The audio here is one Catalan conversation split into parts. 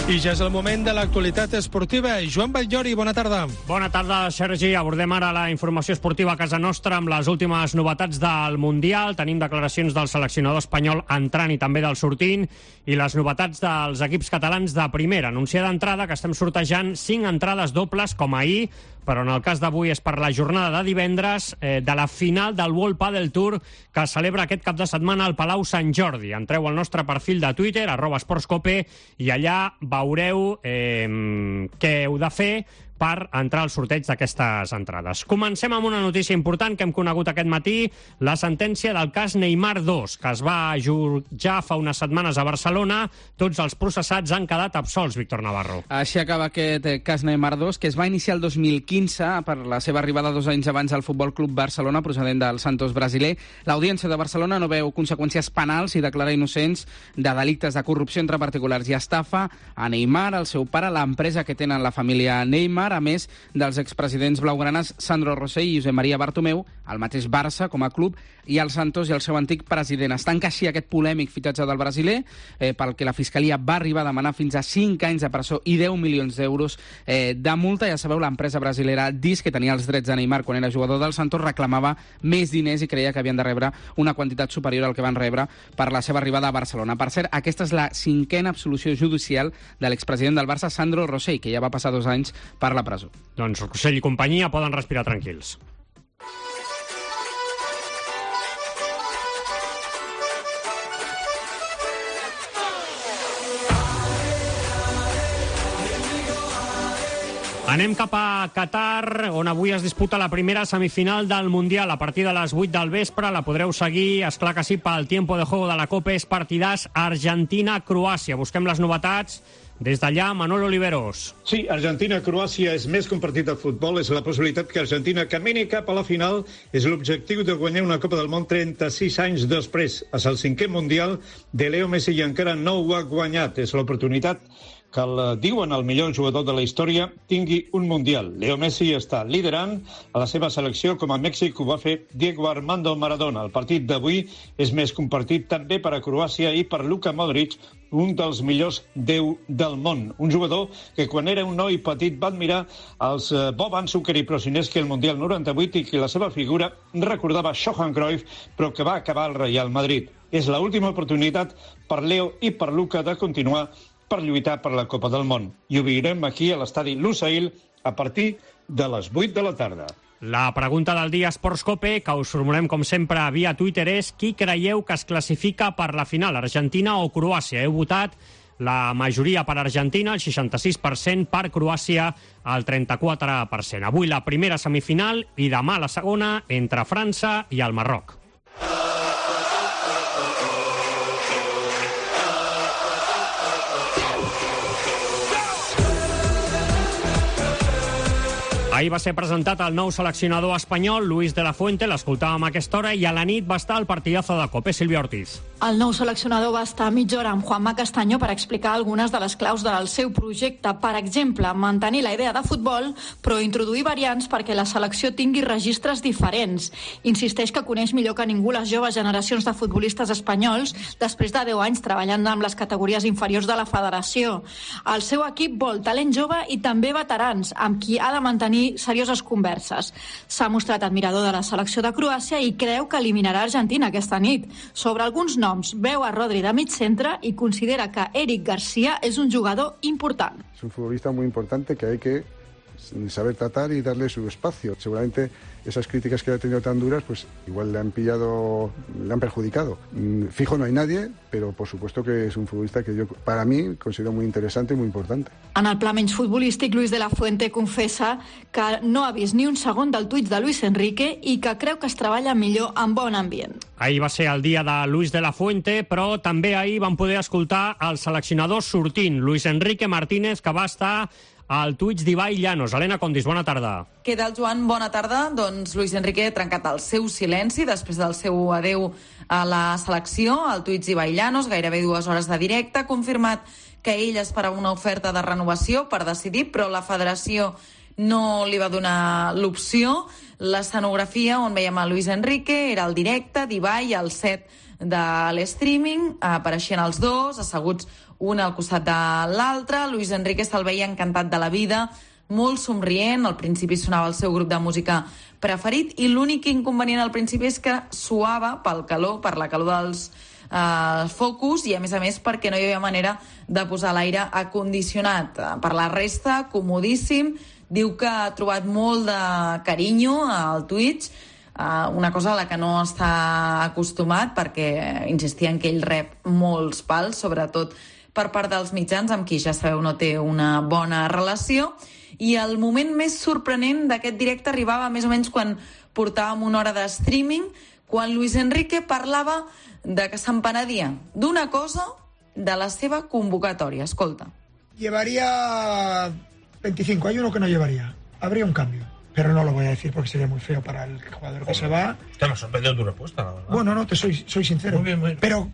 I ja és el moment de l'actualitat esportiva. Joan Batllori, bona tarda. Bona tarda, Sergi. Abordem ara la informació esportiva a casa nostra amb les últimes novetats del Mundial. Tenim declaracions del seleccionador espanyol entrant i també del sortint, i les novetats dels equips catalans de primera. Anunciar d'entrada que estem sortejant 5 entrades dobles, com ahir, però en el cas d'avui és per la jornada de divendres de la final del World Padel Tour que es celebra aquest cap de setmana al Palau Sant Jordi. Entreu al nostre perfil de Twitter, @esportscope, i allà veureu què heu de fer per entrar al sorteig d'aquestes entrades. Comencem amb una notícia important que hem conegut aquest matí, la sentència del cas Neymar 2, que es va jutjar fa unes setmanes a Barcelona. Tots els processats han quedat absolts, Víctor Navarro. Així acaba aquest cas Neymar 2, que es va iniciar el 2015 per la seva arribada 2 anys abans al Futbol Club Barcelona, procedent del Santos brasiler. L'Audiència de Barcelona no veu conseqüències penals i declara innocents de delictes de corrupció entre particulars i estafa a Neymar, el seu pare, l'empresa que tenen la família Neymar, a més dels expresidents blaugranes Sandro Rosell i Josep Maria Bartomeu, el mateix Barça com a club, i el Santos i el seu antic president. Es tanca així aquest polèmic fitatge del brasiler, pel que la Fiscalia va arribar a demanar fins a 5 anys de presó i 10 milions d'euros de multa. Ja sabeu, l'empresa brasilera DIS, que tenia els drets de Neymar quan era jugador del Santos, reclamava més diners i creia que havien de rebre una quantitat superior al que van rebre per la seva arribada a Barcelona. Per cert, aquesta és la 5a absolució judicial de l'expresident del Barça, Sandro Rosell, que ja va passar 2 anys per la presó. Doncs Rosell i companyia poden respirar tranquils. Anem cap a Qatar, on avui es disputa la primera semifinal del Mundial. A partir de les 8 del vespre la podreu seguir, esclar que sí, pel tiempo de juego de la Copa. És partidàs Argentina-Croàcia. Busquem les novetats. Des d'allà, Manol Oliveros. Sí, Argentina-Croàcia és més que un partit de futbol, és la possibilitat que Argentina camini cap a la final. És l'objectiu de guanyar una Copa del Món 36 anys després. És el 5è Mundial de Leo Messi i encara no ho ha guanyat. És l'oportunitat que diuen el millor jugador de la història tingui un Mundial. Leo Messi està liderant a la seva selecció, com a Mèxic ho va fer Diego Armando Maradona. El partit d'avui és més que un partit també per a Croàcia i per Luka Modric, un dels millors 10 del món. Un jugador que quan era un noi petit va admirar els Boban, Zucker i Prosineski al Mundial 98 i que la seva figura recordava Johan Cruyff, però que va acabar al Real Madrid. És l'última oportunitat per Leo i per Luka de continuar per lluitar per la Copa del Món. I ho veurem aquí a l'estadi Lusail a partir de les 8 de la tarda. La pregunta del dia Esportscope, que us formulem com sempre via Twitter, és: qui creieu que es classifica per la final, Argentina o Croàcia? Heu votat la majoria per Argentina, el 66%, per Croàcia, el 34%. Avui la primera semifinal i demà la segona entre França i el Marroc. Ahir va ser presentat el nou seleccionador espanyol, Luis de la Fuente, l'escoltàvem a aquesta hora, i a la nit va estar el partidazo de Cope, Sílvia Ortiz. El nou seleccionador va estar mitja hora amb Juanma Castaño per explicar algunes de les claus del seu projecte. Per exemple, mantenir la idea de futbol, però introduir variants perquè la selecció tingui registres diferents. Insisteix que coneix millor que ningú les joves generacions de futbolistes espanyols després de 10 anys treballant amb les categories inferiors de la federació. El seu equip vol talent jove i també veterans, amb qui ha de mantenir serioses converses. S'ha mostrat admirador de la selecció de Croàcia i creu que eliminarà Argentina aquesta nit. Sobre alguns noms, veu a Rodri de mig centre i considera que Eric García és un jugador important. Es un futbolista muy importante que hay que saber tratar y darle su espacio. Seguramente esas críticas que ha tenido tan duras, pues igual le han perjudicado. Fijo no hay nadie, pero por supuesto que es un futbolista que yo, para mí, considero muy interesante y muy importante. En el pla menys futbolístic, Luis de la Fuente confessa que no ha vist ni un segon del tuit de Luis Enrique i que creu que es treballa millor en bon ambient. Ahir va ser el dia de Luis de la Fuente, però també ahir vam poder escoltar el seleccionador sortint, Luis Enrique Martínez, que va estar al Twitch d'Ibai Llanos. Helena Condis, bona tarda. Què tal, Joan? Bona tarda. Doncs Luis Enrique ha trencat el seu silenci després del seu adeu a la selecció. Al Twitch d'Ibai Llanos, gairebé 2 hores de directe, ha confirmat que ell esperava una oferta de renovació per decidir, però la federació no li va donar l'opció. L'escenografia on veiem a Luis Enrique era el directe d'Ibai al set de l'streaming, apareixien els dos, asseguts un al costat de l'altre. Luis Enrique se'l veia encantat de la vida, molt somrient. Al principi sonava el seu grup de música preferit i l'únic inconvenient al principi és que suava per la calor dels focus i a més perquè no hi havia manera de posar l'aire acondicionat. Per la resta, comodíssim. Diu que ha trobat molt de carinyo al Twitch, una cosa a la que no està acostumat perquè insistia en que ell rep molts pals, sobretot per part dels mitjans, amb qui ja sabeu no té una bona relació. I el moment més sorprenent d'aquest directe arribava més o menys quan portàvem una hora de streaming, quan Luis Enrique parlava de que se'n penedia d'una cosa, de la seva convocatòria. Escolta. Llevaría 25, hay uno que no llevaría. Habría un cambio. Pero no lo voy a decir porque sería muy feo para el jugador que se va. Te me ha sorprendido tu respuesta, la verdad. Bueno, no, soy sincero. Muy bien. Pero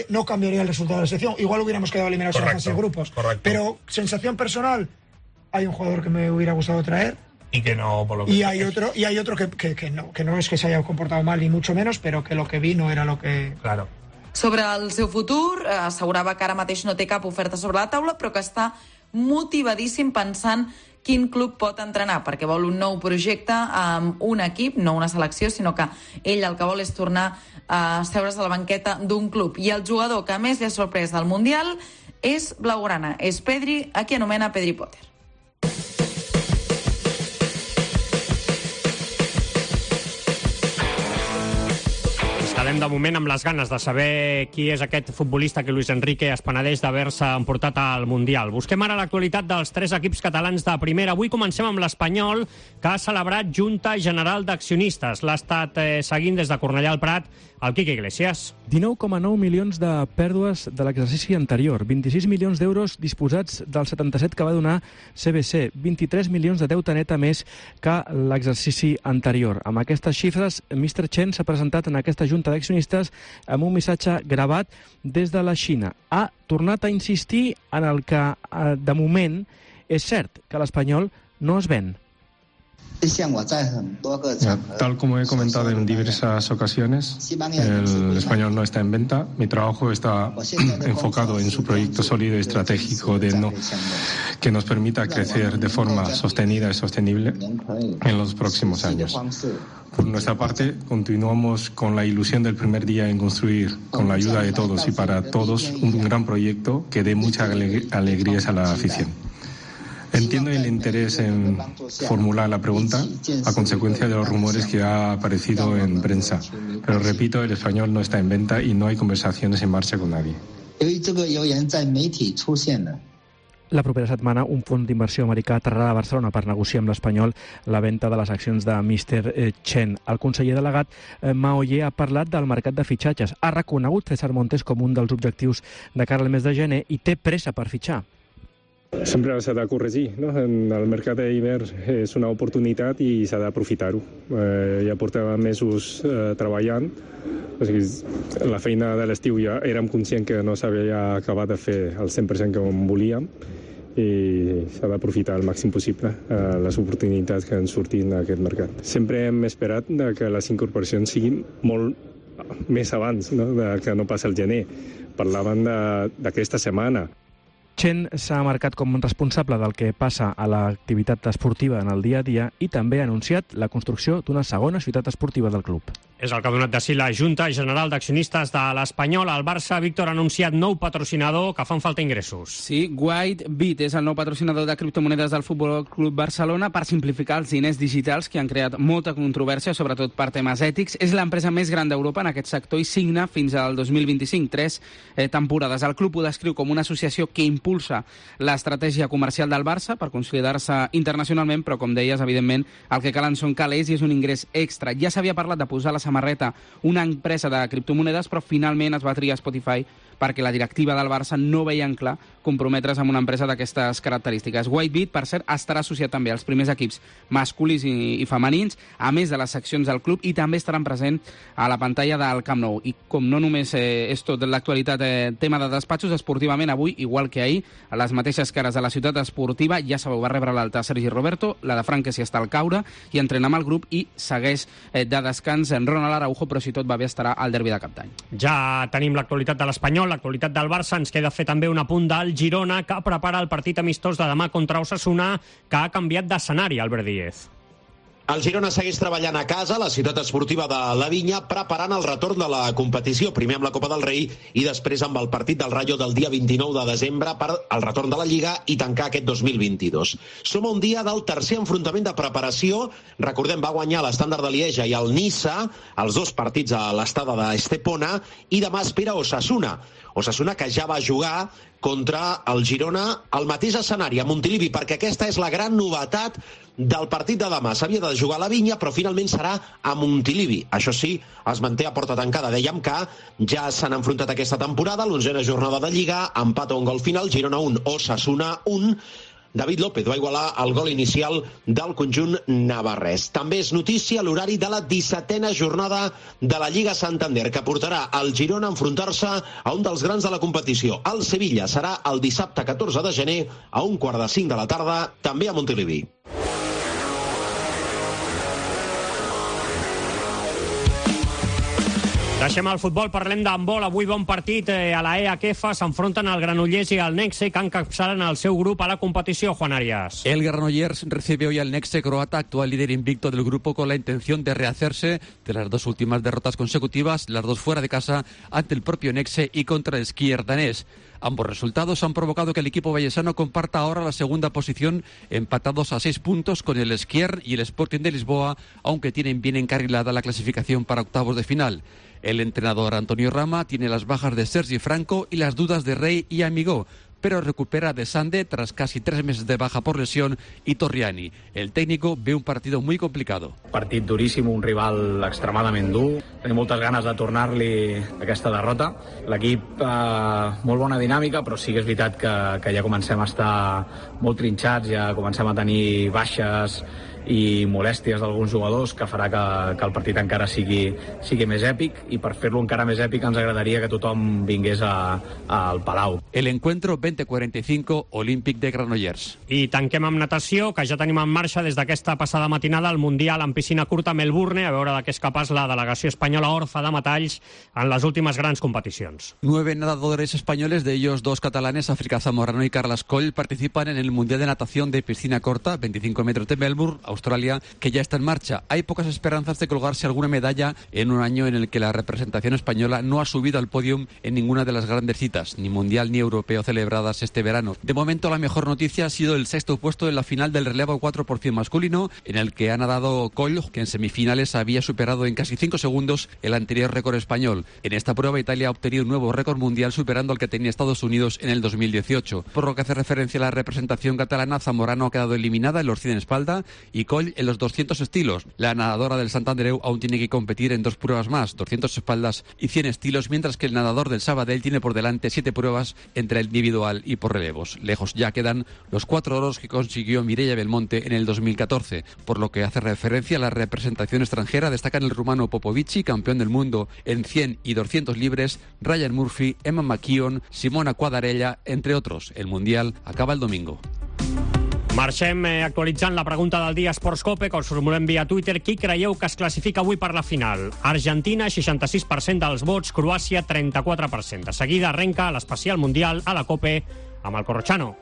no cambiaría el resultado de la selección. Igual hubiéramos quedado eliminados en la fase de grupos. Correcto. Pero sensación personal, hay un jugador que me hubiera gustado traer. Y que no, por lo que... Y hay otro que no es que se haya comportado mal ni mucho menos, pero que lo que vi no era lo que... Claro. Sobre el seu futur, assegurava que ara mateix no té cap oferta sobre la taula, però que està motivadíssim pensant quin club pot entrenar, perquè vol un nou projecte amb un equip, no una selecció, sinó que ell el que vol és tornar a seure's a la banqueta d'un club. I el jugador que més li ha sorprès del Mundial és blaugrana, és Pedri, a qui anomena Pedri Potter. Quedem de moment amb les ganes de saber qui és aquest futbolista que Luis Enrique es penedeix d'haver-se emportat al Mundial. Busquem ara l'actualitat dels 3 equips catalans de primera. Avui comencem amb l'Espanyol, que ha celebrat Junta General d'Accionistes. L'ha estat seguint des de Cornellà al Prat el Quique Iglesias. 19,9 milions de pèrdues de l'exercici anterior, 26 milions d'euros disposats del 77 que va donar CBC, 23 milions de deute neta més que l'exercici anterior. Amb aquestes xifres, Mr. Chen s'ha presentat en aquesta Junta d'accionistes amb un missatge gravat des de la Xina. Ha tornat a insistir en el que, de moment, és cert que l'Espanyol no es ven. Tal como he comentado en diversas ocasiones, el Español no está en venta. Mi trabajo está enfocado en su proyecto sólido y estratégico que nos permita crecer de forma sostenida y sostenible en los próximos años. Por nuestra parte, continuamos con la ilusión del primer día en construir, con la ayuda de todos y para todos, un gran proyecto que dé muchas alegrías a la afición. Entiendo el interés en formular la pregunta a consecuencia de los rumores que ha aparecido en prensa. Pero repito, el Español no está en venta y no hay conversaciones en marcha con nadie. La propera setmana, un fons d'inversió americà aterrarà a Barcelona per negociar amb l'Espanyol la venda de les accions de Mr. Chen. El conseller delegat Mao Ye ha parlat del mercat de fitxatges. Ha reconegut César Montes com un dels objectius de cara al mes de gener i té pressa per fitxar. Sempre s'ha de corregir, no? En el mercat d'hivern és una oportunitat i s'ha d'aprofitar-ho. Ja portava mesos treballant, o sigui, la feina de l'estiu ja érem conscients que no s'havia acabat de fer el 100% que volíem i s'ha d'aprofitar al màxim possible les oportunitats que han sortit en aquest mercat. Sempre hem esperat que les incorporacions siguin molt més abans, no? Que no passa el gener. Parlaven d'aquesta setmana. Chen s'ha marcat com responsable del que passa a l'activitat esportiva en el dia a dia i també ha anunciat la construcció d'una segona ciutat esportiva del club. És el que ha donat de si la Junta General d'Accionistes de l'Espanyol. El Barça, Víctor, ha anunciat nou patrocinador que fan falta ingressos. Sí, Whitebit és el nou patrocinador de criptomonedes del Futbol Club Barcelona per simplificar els diners digitals que han creat molta controvèrsia, sobretot per temes ètics. És l'empresa més gran d'Europa en aquest sector i signa fins al 2025, 3 temporades. El club ho descriu com una associació que impulsa l'estratègia comercial del Barça per consolidar-se internacionalment, però, com deies, evidentment, el que calen són calés i és un ingrés extra. Ja s'havia parlat de posar la samarreta una empresa de criptomonedes, però finalment es va triar Spotify perquè la directiva del Barça no veien clar comprometre's amb una empresa d'aquestes característiques. Whitebit, per cert, estarà associat també als primers equips masculins i femenins, a més de les seccions del club, i també estaran present a la pantalla del Camp Nou. I com no només és tot l'actualitat tema de despatxos, esportivament avui, igual que ahir, a les mateixes cares de la ciutat esportiva, ja sabeu, va rebre l'alta Sergi Roberto, la de Frank, que s'hi està al caure, i entrena amb el grup i segueix de descans en Ronald Araujo, però si tot va bé estarà al derbi de Cap d'Any. Ja tenim l'actualitat de l'Espanyol, l'actualitat del Barça, ens queda fer també un apunt del Girona, que prepara el partit amistós de demà contra Osasuna, que ha canviat d'escenari, Albert Díez. El Girona segueix treballant a casa, la ciutat esportiva de la Vinya, preparant el retorn de la competició, primer amb la Copa del Rei i després amb el partit del Rayo del dia 29 de desembre per el retorn de la Lliga i tancar aquest 2022. Som a un dia del tercer enfrontament de preparació. Recordem, va guanyar l'Estàndard de Lieja i el Niça, els dos partits a l'estada d'Estepona, i demà espera Osasuna. Osasuna que ja va jugar contra el Girona al mateix escenari, a Montilivi, perquè aquesta és la gran novetat del partit de demà. S'havia de jugar a la Vinya, però finalment serà a Montilivi. Això sí, es manté a porta tancada. Dèiem que ja s'han enfrontat aquesta temporada, l'11a jornada de Lliga, empat a un gol final, Girona 1, Osasuna 1. David López va igualar el gol inicial del conjunt navarrès. També és notícia l'horari de la 17a jornada de la Lliga Santander, que portarà el Girona a enfrontar-se a un dels grans de la competició. El Sevilla serà el dissabte 14 de gener a 1:45 de la tarda, també a Montilivi. Deixem el futbol, parlem d'handbol. Avui bon partit a la EHF. S'enfronten el Granollers y al Nexe, que encapçalen el seu grup a la competició, Juan Arias. El Granollers recibe hoy al Nexe croata, actual líder invicto del grupo, con la intención de rehacerse de las dos últimas derrotas consecutivas, las dos fuera de casa, ante el propio Nexe y contra el Skier danés. Ambos resultados han provocado que el equipo vallesano comparta ahora la segunda posición, empatados a 6 puntos con el Skier y el Sporting de Lisboa, aunque tienen bien encarrilada la clasificación para octavos de final. El entrenador Antonio Rama tiene las bajas de Sergi Franco y las dudas de Rey y Amigó, pero recupera de Sande tras casi 3 meses de baja por lesión y Torriani. El técnico ve un partido muy complicado. Partit duríssim, un rival extremadament dur. Tenim moltes ganes de tornar-li aquesta derrota. L'equip, molt bona dinàmica, però sí que és veritat que ja comencem a estar molt trinxats, ja comencem a tenir baixes i molèsties d'alguns jugadors, que farà que el partit encara sigui més èpic, i per fer-lo encara més èpic ens agradaria que tothom vingués al Palau. El encuentro 20:45, Olímpic de Granollers. I tanquem amb natació, que ja tenim en marxa des d'aquesta passada matinada el Mundial en piscina curta a Melbourne, a veure de què és capaç la delegació espanyola orfa de metalls en les últimes grans competicions. 9 nadadores españoles, de ellos 2 catalanes, África Zamorano y Carlas Coll, participan en el Mundial de Natación de Piscina Corta, 25 metros de Melbourne, Australia, que ya está en marcha. Hay pocas esperanzas de colgarse alguna medalla en un año en el que la representación española no ha subido al podium en ninguna de las grandes citas, ni mundial ni europeo, celebradas este verano. De momento, la mejor noticia ha sido el 6º puesto en la final del relevo 4x100 masculino, en el que ha nadado Coll, que en semifinales había superado en casi 5 segundos el anterior récord español. En esta prueba, Italia ha obtenido un nuevo récord mundial, superando al que tenía Estados Unidos en el 2018. Por lo que hace referencia a la representación catalana, Zamorano ha quedado eliminada en los 100 en espalda y Coll en los 200 estilos. La nadadora del Sant Andreu aún tiene que competir en 2 pruebas más, 200 espaldas y 100 estilos, mientras que el nadador del Sabadell tiene por delante 7 pruebas entre el individual y por relevos. Lejos ya quedan los 4 oros que consiguió Mireia Belmonte en el 2014. Por lo que hace referencia a la representación extranjera, destacan el rumano Popovici, campeón del mundo en 100 y 200 libres, Ryan Murphy, Emma McKeon, Simona Quadarella, entre otros. El Mundial acaba el domingo. Marxem actualitzant la pregunta del dia Sportscope, que us formulem via Twitter. Qui creieu que es classifica avui per la final? Argentina, 66% dels vots, Croàcia, 34%. De seguida arrenca l'especial mundial a la COPE amb el Corrochano.